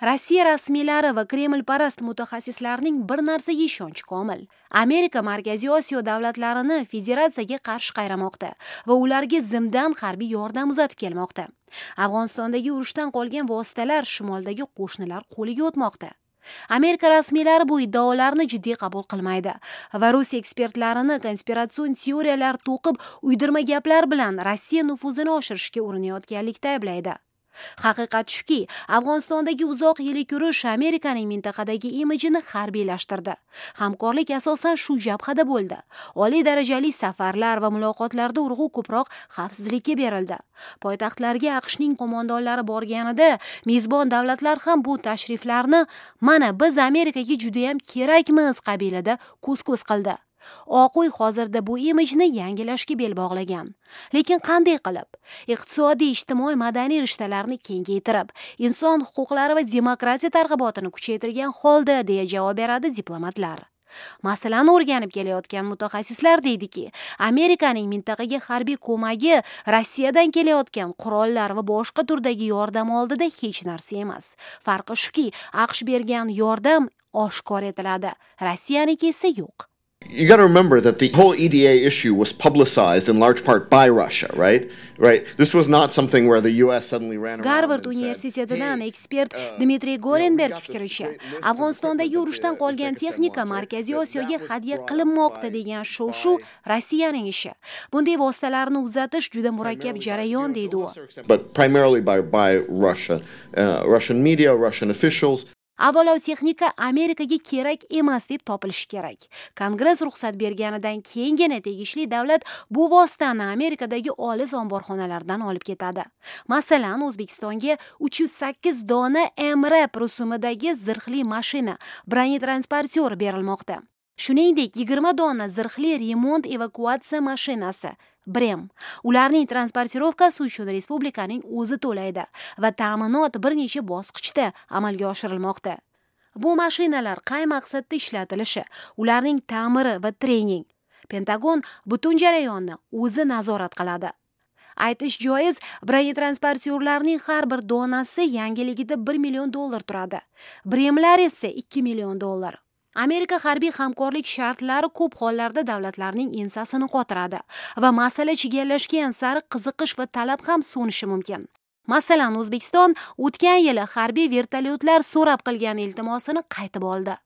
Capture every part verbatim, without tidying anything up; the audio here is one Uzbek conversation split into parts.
Rossiya rasmiylari va Kremlparast mutaxassislarning bir narsaga ishonchi komil. Amerika Markaziy Osiyo davlatlarini federatsiyaga qarshi qayramoqda va ularga zimdan harbiy yordam uzatib kelmoqda. Afg'onistondagi urushdan qolgan vositalar shimoldagi qo'shnilar qo'liga o'tmoqda. Amerika rasmiylari bu iddaolarni jiddiy qabul qilmaydi va rus ekspertlarini konspiratsion teoriyalar to'qib, uydirma gaplar bilan Rossiya nufuzini oshirishga urinayotganlikda ayblaydi. Haqiqat shuki, Afg'onistondagi uzoq yillik urush Amerikaning mintaqadagi imijini harbiylashtirdi. Hamkorlik asosan shu jabhada bo'ldi. Oliy darajali safarlar va muloqotlarda urg'u ko'proq xavfsizlikka berildi. Poytaxtlarga A Q Shning qo'mondonlari borganida mezbon davlatlar ham bu tashriflarni "Mana, biz Amerikaga judayam kerakmiz" qabilida ko'z-ko'z qildi. Oq uy hozirda bu imijni yangilashga bel bog'lagan. Lekin qanday qilib? Iqtisodiy, ijtimoiy, madaniy rishtalarni kengaytirib, inson huquqlari va demokratiya targ'ibotini kuchaytirgan holda, deya javob beradi diplomatlar. Masalani o'rganib kelayotgan mutaxassislar deydiki, Amerikaning mintaqaga harbiy ko'magi Rossiyadan kelayotgan qurollar va boshqa turdagi yordam oldida hech narsa emas. Farqi shuki, A Q Sh bergan yordam oshkor etiladi, Rossiyaniki esa yo'q. You got to remember that the whole E D A issue was publicized in large part by Russia, right? Right. This was not something where the U S suddenly ran around. Garvard universitetidan ekspert uh, Dmitriy Gorenberg fikricha, Afg'onistondagi urushdan qolgan texnika Markaziy Osiyoga hadya qilinmoqda degan shov-shuv Rossiyaning ishi. Bunday vositalarni uzatish juda murakkab jarayon, deydi u. But primarily by by Russia, uh, Russian media, Russian officials. Avvalo texnika Amerikaga kerak emas deb topilishi kerak. Kongress ruxsat berganidan keyingina tegishli davlat bu vositani Amerikadagi olis omborxonalardan olib ketadi. Masalan, O'zbekistonga uch yuz sakkiz dona M R A P rusumidagi zirhli mashina, бронетранспортёр berilmoqda. Shuningdek, yigirma dona zirhli remont evakuatsiya mashinasi, BREM. Ularning транспортировка si uchun respublikaning o'zi to'laydi va ta'minot bir necha bosqichda amalga oshirilmoqda. Bu mashinalar qay maqsadda ishlatilishi, ularning ta'miri va trening. Pentagon butun jarayonni o'zi nazorat qiladi. Aytish joiz, бронетранспортёр larning har bir donasi yangiligida bir million dollar turadi. BREMlar esa ikki million dollar. Amerika harbiy hamkorlik shartlari ko'p hollarda davlatlarning ensasini qotiradi va masala chigallashgan sari qiziqish va talab ham so'nishi mumkin. Masalan, O'zbekiston o'tgan yili harbiy vertolyotlar so'rab qilgan iltimosini qaytib oldi.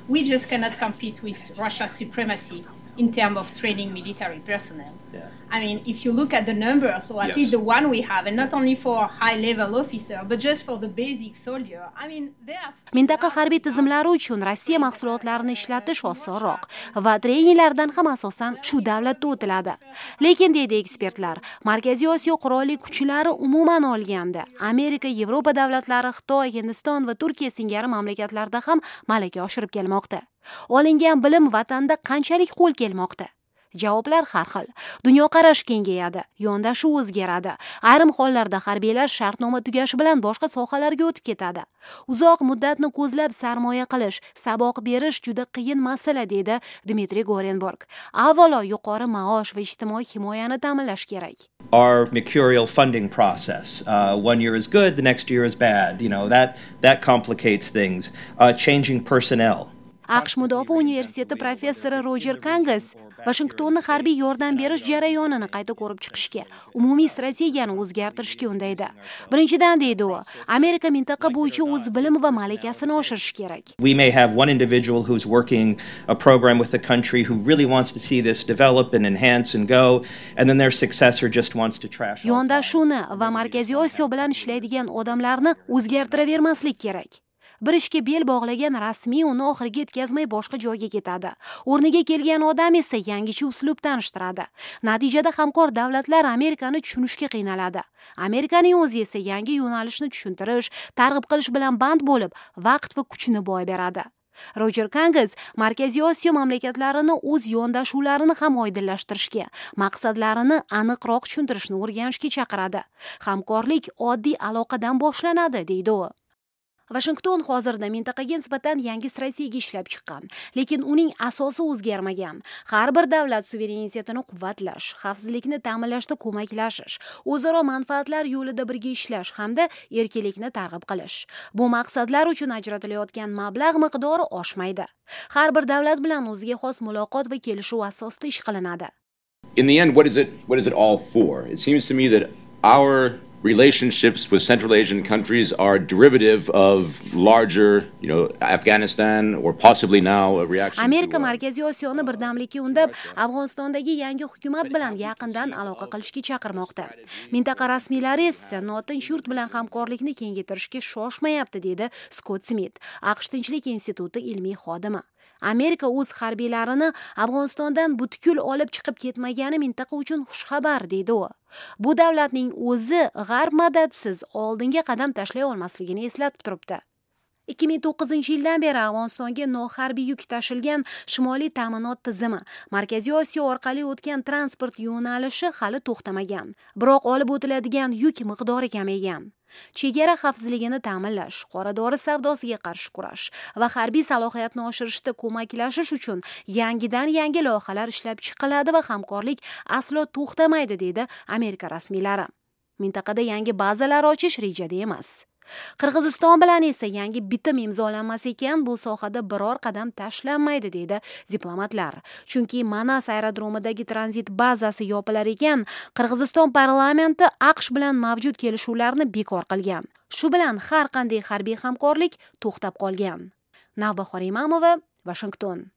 We just cannot compete with Russia's supremacy in terms of training military personnel. Yeah. I mean, if you look at the numbers, or at yes. least the one we have, and not only for high-level officer, but just for the basic soldier, I mean, they are. Mintaqa harbiy tizimlari uchun Rossiya mahsulotlarini ishlatish osonroq va treninglardan ham asosan shu davlatda o'tiladi. Lekin, deydi ekspertlar, Markaziy Osiyo qurolli kuchlari umuman olganda Amerika, Yevropa davlatlari, Xitoy, Hindiston va Turkiya singari mamlakatlarda ham malaka oshirib kelmoqda. Olingan bilim vatanda qanchalik qo'l kelmoqda? Javoblar har xil. Dunyoqarash kengayadi, yondashuv o'zgaradi. Ayrim hollarda harbiylar shartnoma tugashi bilan boshqa sohalarga o'tib ketadi. Uzoq muddatni ko'zlab sarmoya qilish, saboq berish juda qiyin masala, deydi Dmitriy Gorenburg. Avvalo yuqori maosh va ijtimoiy himoyani ta'minlash kerak. Our mercurial funding process. Uh, one year is good, the next year is bad. You know, that, that complicates things. Uh, changing personnel. A Q Sh mudofaa universiteti professori Rojer Kangas Vashingtonni harbiy yordam berish jarayonini qayta ko'rib chiqishga, umumiy strategiyani o'zgartirishga undaydi. Birinchidan, deydi u, Amerika mintaqa bo'yicha o'z bilim va malakasini oshirishi kerak. We may have one individual who's working a program with the country who really wants to see this develop and enhance and go, and then their successor just wants to trash. Yondashuvni va Markaziy Osiyo bilan ishlaydigan odamlarni o'zgartiravermaslik kerak. Bir ishga bel bog'lagan rasmiy uni oxiriga yetkazmay boshqa joyga ketadi. O'rniga kelgan odam esa yangicha uslub tanishtiradi. Natijada hamkor davlatlar Amerikani tushunishga qiynaladi. Amerikaning o'zi esa yangi yo'nalishni tushuntirish, targ'ib qilish bilan band bo'lib, vaqt va kuchini boy beradi. Rojer Kangas Markaziy Osiyo mamlakatlarini o'z yondashuvlarini ham oydinlashtirishga, maqsadlarini aniqroq tushuntirishni o'rganishga chaqiradi. Hamkorlik oddiy aloqadan boshlanadi, deydi u. Vashington hozirda mintaqaga nisbatan yangi strategiya ishlab chiqqan, lekin uning asosi o'zgarmagan. Har bir davlat suverenitetini quvvatlash, xavfsizlikni ta'minlashda ko'maklashish, o'zaro manfaatlar yo'lida birga ishlash hamda erkinlikni targ'ib qilish. Bu maqsadlar uchun ajratilayotgan mablag' miqdori oshmaydi. Har bir davlat bilan o'ziga xos muloqot va kelishuv asosida ish qilinadi. In the end, what is it what is it all for? It seems to me that our relationships with Central Asian countries are derivative of larger, you know, Afghanistan or possibly now a reaction. Amerika Markaziy Osiyoni birdamlikka undab, Afg'onistondagi yangi hukumat bilan yaqindan aloqa qilishga chaqirmoqda. Mintaqa rasmiylari esa notinch yurt bilan hamkorlikni kengaytirishga shoshmayapti, dedi Skott Smit, AQSh Tinchlik instituti ilmiy xodimi. Amerika o'z harbiylarini Afg'onistondan butkul olib chiqib ketmagani mintaqa uchun xushxabar, deydi u. Bu davlatning o'zi g'arb madadsiz oldinga qadam tashlay olmasligini eslatib turibdi. ikki ming to'qqizinchi yildan beri Afg'onistonga noharbiy yuk tashilgan shimoliy ta'minot tizimi, Markaziy Osiyo orqali o'tgan transport yo'nalishi hali to'xtamagan. Biroq olib o'tiladigan yuk miqdori kamaygan. Chegara xavfsizligini ta'minlash, qora dori savdosiga qarshi kurash va harbiy salohiyatni oshirishda ko'maklashish uchun yangidan yangi loyihalar ishlab chiqiladi va hamkorlik aslo to'xtamaydi, deydi Amerika rasmiylari. Mintaqada yangi bazalar ochish rejada emas. Qirg'iziston bilan esa yangi bitim imzolanmas ekan, bu sohada biror qadam tashlanmaydi, deydi diplomatlar. Chunki Manas aerodromidagi tranzit bazasi yopilar ekan, Qirg'iziston parlamenti AQSh bilan mavjud kelishuvlarni bekor qilgan. Shu bilan har qanday harbiy hamkorlik to'xtab qolgan. Navbahor Imamova, Vashington.